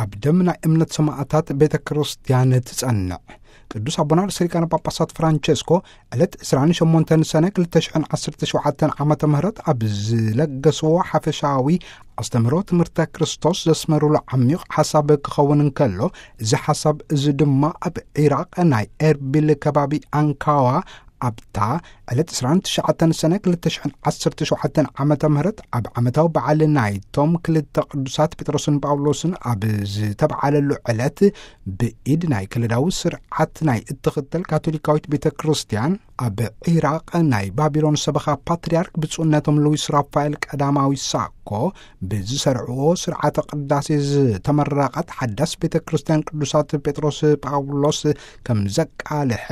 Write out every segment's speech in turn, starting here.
ኣብ ደም ናይ እምነት ሰማዕታት ቤተ ክርስቲያን ትጸንዕ። ቅዱስ ኣቦና ርእሰ ሊቃነ ጳጳሳት ፍራንቸስኮ ዕለት ዕስራን ሸሞንተን ሰነ ክልተ ሽሕን ዓሰርተ ሸውዓተን ዓመተ ምህረት ኣብ ዝለገስዎ ሓፈሻዊ ኣስተምህሮ ትምህርተ ክርስቶስ ዘስመሩሉ ዓሚቕ ሓሳብ ክኸውን እንከሎ፣ እዚ ሓሳብ እዚ ድማ ኣብ ዒራቕ ናይ ኤርቢል ከባቢ ኣንካዋ ኣብታ ዕለት ዕስራን ትሽዓተን ሰነ ክልተ ሽሕን ዓሰርተ ሸውዓተን ዓመተ ምህረት ኣብ ዓመታዊ በዓል ናይቶም ክልተ ቅዱሳት ጴጥሮስን ጳውሎስን ኣብ ዝተበዓለሉ ዕለት ብኢድ ናይ ከለዳዊ ስርዓት ናይ እትኽተል ካቶሊካዊት ቤተ ክርስቲያን ኣብ ዒራቕ ናይ ባቢሎን ሰበኻ ፓትርያርክ ብፁዕነቶም ሉዊስ ራፋኤል ቀዳማዊ ሳኮ ብዝሰርዕዎ ስርዓተ ቅዳሴ ዝተመረቐት ሓዳስ ቤተ ክርስቲያን ቅዱሳት ጴጥሮስ ጳውሎስ ከም ዘቃልሐ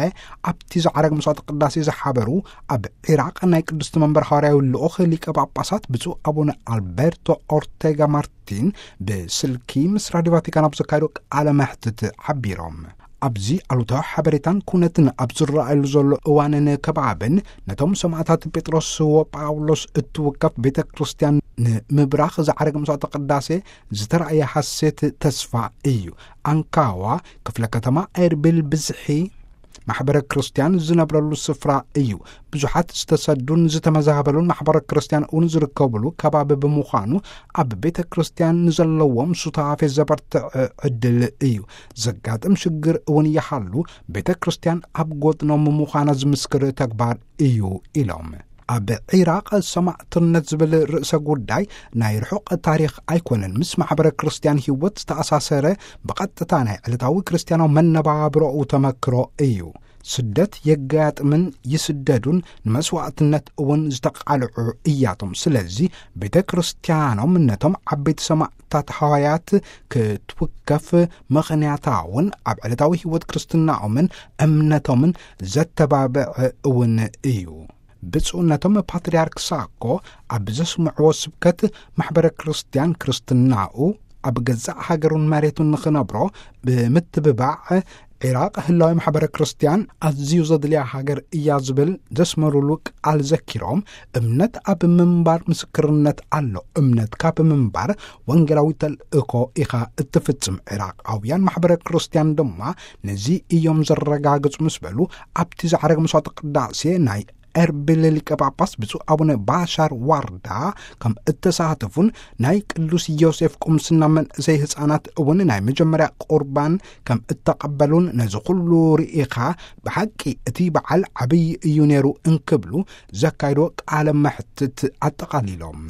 ኣብቲ ዝዓረግ መስዋዕተ ቅዳሴ ዝሓበሩ ኣብ ዒራቕ ናይ ቅድስቲ መንበር ሃዋርያዊ ልኡኽ ሊቀ ጳጳሳት ብፁዕ ኣቡነ ኣልቤርቶ ኦርቴጋ ማርቲን ብስልኪ ምስ ራዲዮ ቫቲካን ኣብ ዘካየዶ ቃለ መሕትት ሓቢሮም። ኣብዚ ኣሉታዊ ሓበሬታን ኩነትን ኣብ ዝረኣየሉ ዘሎ እዋንን ከባብን ነቶም ሰማዕታት ጴጥሮስ ወጳውሎስ እትውከፍ ቤተ ክርስቲያን ንምብራኽ ዝዓረግ መስዋዕተ ቅዳሴ ዝተራእየ ሓሴት ተስፋ እዩ። ኣንካዋ ክፍለ ከተማ ኤርቢል ብዝሒ ማሕበረ ክርስቲያን ዝነብረሉ ስፍራ እዩ። ብዙሓት ዝተሰዱን ዝተመዛበሉን ማሕበረ ክርስቲያን እውን ዝርከብሉ ከባቢ ብምዃኑ ኣብ ቤተ ክርስቲያን ንዘለዎም ሱታፌ ዘበርትዕ ዕድል እዩ። ዘጋጥም ሽግር እውን ይሃሉ ቤተ ክርስቲያን ኣብ ጎድኖም ምዃና ዝምስክር ተግባር እዩ ኢሎም። ኣብ ዒራቕ ሰማዕትነት ዝብል ርእሰ ጉዳይ ናይ ርሑቕ ታሪኽ ኣይኮነን። ምስ ማሕበረ ክርስቲያን ህይወት ዝተኣሳሰረ ብቐጥታ ናይ ዕለታዊ ክርስቲያናዊ መነባብሮኡ ተመክሮ እዩ። ስደት የጋጥምን ይስደዱን ንመስዋዕትነት እውን ዝተቃልዑ እያቶም። ስለዚ ቤተ ክርስቲያኖም ነቶም ዓበይቲ ሰማዕታት ሃዋያት ክትውከፍ ምኽንያታውን ኣብ ዕለታዊ ህይወት ክርስትናኦምን እምነቶምን ዘተባብዕ እውን እዩ። ብፁዕነቶም ፓትርያርክ ሳኮ ኣብ ዘስምዕዎ ስብከት ማሕበረ ክርስቲያን ክርስትናኡ ኣብ ገዛእ ሃገሩን መሬቱን ንኽነብሮ ብምትብባዕ ዒራቕ ህላዊ ማሕበረ ክርስቲያን ኣዝዩ ዘድልያ ሃገር እያ ዝብል ዘስመሩሉ ቃል ዘኪሮም፣ እምነት ኣብ ምንባር ምስክርነት ኣሎ። እምነትካ ብምንባር ወንጌላዊ ተልእኮ ኢኻ እትፍጽም። ዒራቓውያን ማሕበረ ክርስቲያን ድማ ነዚ እዮም ዘረጋግጹ ምስ በሉ፣ ኣብቲ ዝዓረገ መስዋዕተ ቅዳሴ ናይ ኤርቢል ሊቀ ጳጳስ ብፁዕ ኣቡነ ባሻር ዋርዳ ከም እተሳተፉን ናይ ቅዱስ ዮሴፍ ቁምስና መንእሰይ ህፃናት እውን ናይ መጀመርያ ቁርባን ከም እተቐበሉን ነዚ ኩሉ ርኢኻ ብሓቂ እቲ በዓል ዓብዪ እዩ ነይሩ እንክብሉ ዘካይዶ ቃለ መሕትት ኣጠቓሊሎም።